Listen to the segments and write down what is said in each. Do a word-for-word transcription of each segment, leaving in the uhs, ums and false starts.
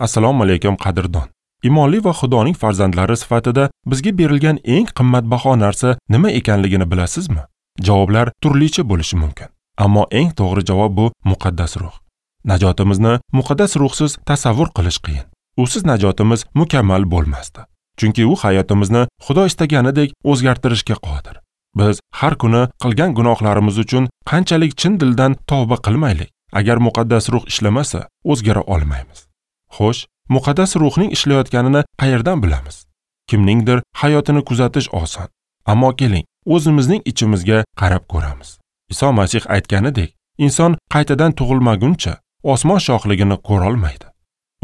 Assalomu alaykum qadrdon. Imonli va Xudoning farzandlari sifatida bizga berilgan eng qimmatbaho narsa nima ekanligini bilasizmi? Javoblar turlicha bo'lishi mumkin. Ammo eng to'g'ri javob bu muqaddas ruh. Najotimizni muqaddas ruhsiz tasavvur qilish qiyin. Usiz najotimiz mukammal bo'lmasdi. Chunki u hayotimizni Xudo istaganidek o'zgartirishga qodir. Biz har kuni qilgan gunohlarimiz uchun qanchalik chin dildan tavba qilmaylik, agar muqaddas ruh ishlamasa, o'zgara olmaymiz. Xo'sh, muqaddas ruhning ishlayotganini qayerdan bilamiz? Kimningdir hayotini kuzatish oson. Ammo keling, o'zimizning ichimizga qarab ko'ramiz. Iso Masih aytganidek, inson qaytadan tug'ilmaguncha osmon shohligini ko'ra olmaydi.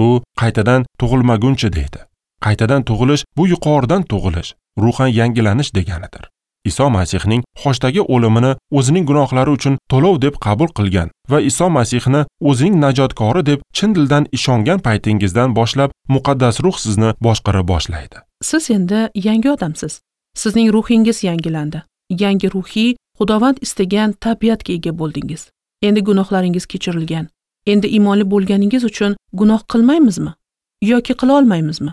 U qaytadan tug'ilmaguncha deydi. Qaytadan tug'ilish bu yuqoridan tug'ilish, ruhan yangilanish deganidir. Iso Masihning xochdagi o'limini o'zining gunohlari uchun to'lov deb qabul qilgan va Iso Masihni o'zining najotkori deb chin dildan ishongan paytingizdan boshlab muqaddas ruh sizni boshqara boshlaydi. Siz endi yangi odamsiz. Sizning ruhingiz yangilandi. Yangi ruhiy, Xudovand istagan tabiatga ega bo'ldingiz. Endi gunohlaringiz kechirilgan. Endi iymonli bo'lganingiz uchun gunoh qilmaymizmi yoki qila olmaymizmi?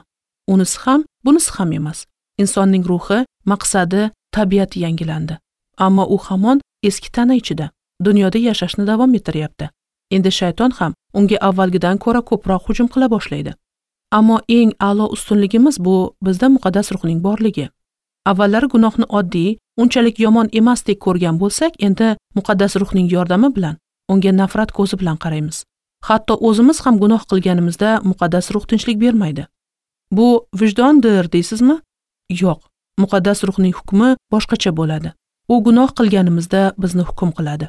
Unisi ham, bunisi ham emas. Insonning ruhi, maqsadi, tabiati yangilandi. Ammo u hamon eski tana ichida, dunyoda yashashni davom ettiryapti. Endi shayton ham unga avvalgidan ko'ra ko'proq hujum qila boshlaydi. Ammo eng a'lo ustunligimiz bu bizda muqaddas ruhning borligi. Avvallari gunohni oddiy, unchalik yomon emasdek ko'rgan bo'lsak, endi muqaddas ruhning yordami bilan unga nafrat ko'zi bilan qaraymiz. Hatto o'zimiz ham gunoh qilganimizda muqaddas ruh tinchlik bermaydi. Bu vijdondir deysizmi? Yo'q. Muqaddas ruhning hukmi boshqacha bo'ladi. U gunoh qilganimizda bizni hukm qiladi.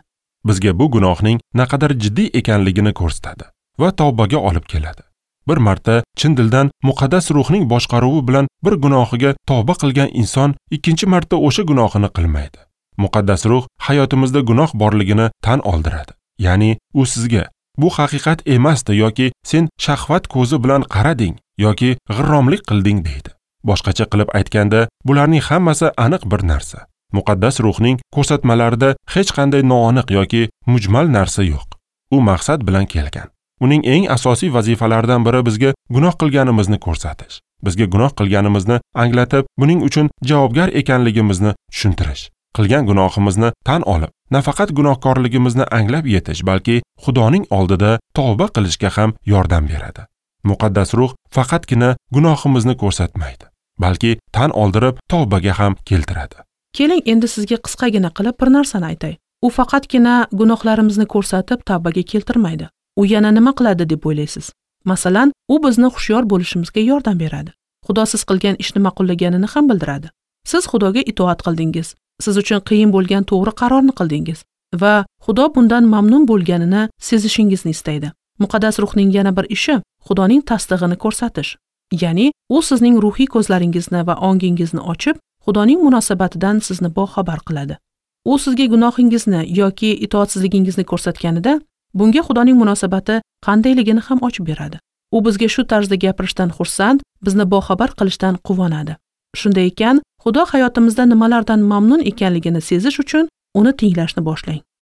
Bizga bu gunohning naqadar jiddiy ekanligini ko'rsatadi va tavbaga olib keladi. Bir marta chin dildan muqaddas ruhning boshqaruvi bilan bir gunohiga tavba qilgan inson ikkinchi marta o'sha gunohini qilmaydi. Muqaddas ruh hayotimizda gunoh borligini tan oldiradi. Ya'ni u sizga bu haqiqat emasdi yoki sen shahvat ko'zi bilan qarading yoki g'irromlik qilding deydi. Boshqacha qilib aytganda, bularning hammasi aniq bir narsa. Muqaddas ruhning ko'rsatmalarida hech qanday noaniq yoki mujmal narsa yo'q. U maqsad bilan kelgan. Uning eng asosiy vazifalaridan biri bizga gunoh qilganimizni ko'rsatish. Bizga gunoh qilganimizni anglatib, buning uchun javobgar ekanligimizni tushuntirish. Qilgan gunohimizni tan olib, nafaqat gunohkorligimizni anglab yetish, balki Xudoning oldida tavba qilishga ham yordam beradi. Muqaddas ruh faqatgina gunohimizni ko'rsatmaydi, balki tan oldirib tavbaga ham keltiradi. Keling, endi sizga qisqagina qilib bir narsani aytay. U faqatgina gunohlarimizni ko'rsatib tavbaga keltirmaydi. U yana nima qiladi deb o'ylaysiz? Masalan, u bizni hushyor bo'lishimizga yordam beradi. Xudo siz qilgan ishni ma'qullaganini ham bildiradi. Siz Xudoga itoat qildingiz. Siz uchun qiyin bo'lgan to'g'ri qarorni qildingiz va Xudo bundan mamnun bo'lganini sezishingizni istaydi. Muqaddas ruhning yana bir ishi Xudoning tasdig'ini ko'rsatish. Ya'ni u sizning ruhiy ko'zlaringizni va ongingizni ochib, Xudoning munosabatidan sizni boxabar qiladi. U sizga gunohingizni yoki itoatsizligingizni ko'rsatganida, bunga Xudoning munosabati qandayligini ham ochib beradi. U bizga shu tarzda gapirishdan xursand, bizni boxabar qilishdan quvonadi. Shunday ekan, Xudo hayotimizda nimalardan mamnun ekanligini sezish uchun uni tinglashni boshlang.